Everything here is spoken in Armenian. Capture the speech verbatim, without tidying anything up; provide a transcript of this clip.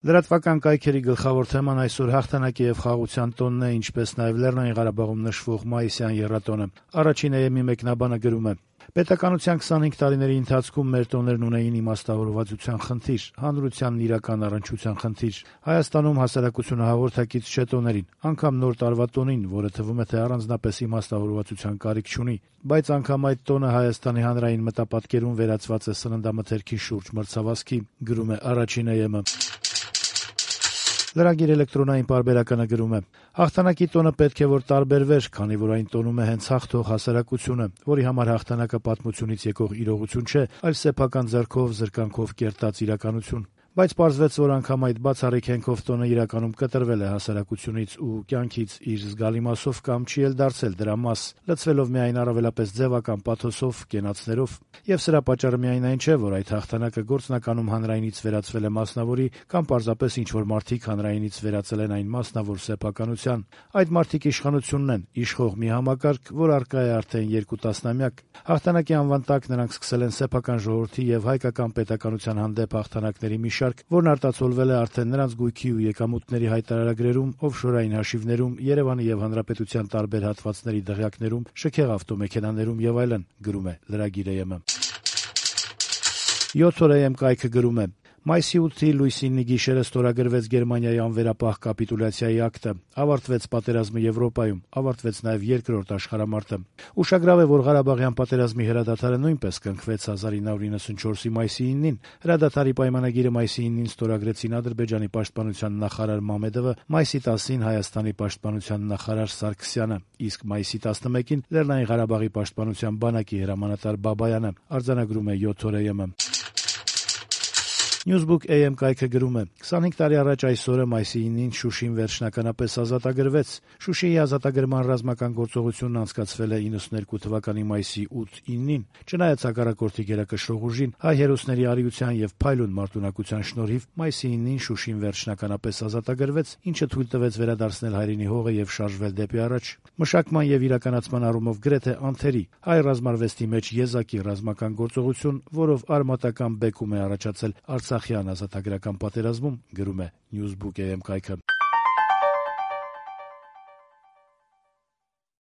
Լրատվական կայքերի գլխավոր թեման այսօր հաղթանակի եւ խաղաղության տոնն է, ինչպես նաեւ Լեռնային Ղարաբաղում նշվող մայիսյան եռատոնը։ Առաջին էեմի մեկնաբանը գրում է. «Պետականության քսանհինգ տարիների ընթացքում մեր տոներն ունեին իմաստավորվածության խնդիր, հանրությանն իրական առնչության խնդիր։ Հայաստանում հասարակությունը հաղորդակից չէ տոներին, անգամ նոր տարվա տոնին, որը թվում է թե առանձնապես իմաստավորվածության կարիք չունի։ Բայց անգամ այդ տոնը Հայաստանի հանրային մտապատկերում վերածված է սննդամթերքի շուրջ մրցավազքի», գրում է առաջին էեմը։ Լրագիր էլեկտրոնային պարբերականը գրում է. «Հաղթանակի տոնը պետք է որ տարբերվեր, քանի որ այն տոնում է հենց հաղթող հասարակությունը, որի համար հաղթանակը պատմությունից եկող իրողություն չէ, այլ սեփական ձեռքով, զրկանքով կերտած իրականություն։ Բայց պարզվեց, որ անգամ այդ բացառիկ հենքով տոնը իրականում կտրվել է հասարակությունից ու կյանքից իր զգալի մասով կամ չի էլ դարձել դրա մաս, լցվելով միայն առավելապես ձևական պաթոսով, կենացներով։ Եվ սրա պատճառը միայն այն չէ, որ այդ հաղթանակը գործնականում հանրայինից վերածվել է մասնավորի կամ պարզապես ինչ-որ մարդիկ հանրայինից վերածել են այն մասնավոր սեփականության։ Այդ մարդիկ իշխանությունն են, իշխող մի համակարգ, որ առկա է արդեն երկու տասնամյակ։ Հաղթանակի անվան տակ նրանք սկսել են սեփական ժողովրդի եւ հայկական պետականության հանդեպ հաղթանակների մի շարք, որն արտացոլվել է արդեն նրանց գույքի ու եկամուտների հայտարարագրերում, օֆշորային հաշիվներում, Երևանի եւ Հանրապետության տարբեր հատվածների դղյակներում, շքեղ ավտոմեքենաներում եւ այլն», գրում է լրագիր էեմը։ յոթ օր էեմ կայքը գրում է. «Մայիսի ութի լույսինի գիշերը ստորագրվեց Գերմանիայի անվերապահ կապիտուլյացիայի ակտը, ավարտվեց պատերազմը Եվրոպայում, ավարտվեց նաև երկրորդ աշխարհամարտը։ Ուշագրավ է, որ Ղարաբաղյան պատերազմի հրադադարը նույնպես կնքվեց հազար ինը հարյուր իննսունչորսի մայիսի իննին։ Հրադադարի պայմանագիրը մայիսի իննին ստորագրեցին Ադրբեջանի պաշտպանության նախարար Մամեդովը, մայիսի տասին Հայաստանի պաշտպանության նախարար Սարգսյանը, իսկ մայիսի տասնմեկին Լեռնային Ղարաբաղի պաշտպանության բանակի հրամանատար Բաբայանը», արձանագրում է յոթ օր էեմը։ Newsbook էյ էմ կայքը գրում է. «քսանհինգ տարի առաջ այս օրը մայիսի ինին Շուշին վերջնականապես ազատագրվեց։ Շուշիի ազատագրման ռազմական գործողությունն անցկացվել է իննսուններկու թվականի մայիսի ութ-ինին։ Չնայած հակառակորդի գերակշռող ուժին, հայ հերոսների արիության եւ փայլուն մարտունակության շնորհիվ մայիսի ինին Շուշին վերջնականապես ազատագրվեց, ինչը թույլ տվեց վերադարձնել հայրենի հողը եւ շարժվել դեպի առաջ։ Մշակման եւ իրականացման առումով գրեթե անթերի, հայ ռազմարվեստի մեջ եզակի ռազմական գործողություն, որով արմատական բեկում է առաջացել Արցախյան ազատագրական պատերազմում», գրում է Newsbook էյ էմ կայքը։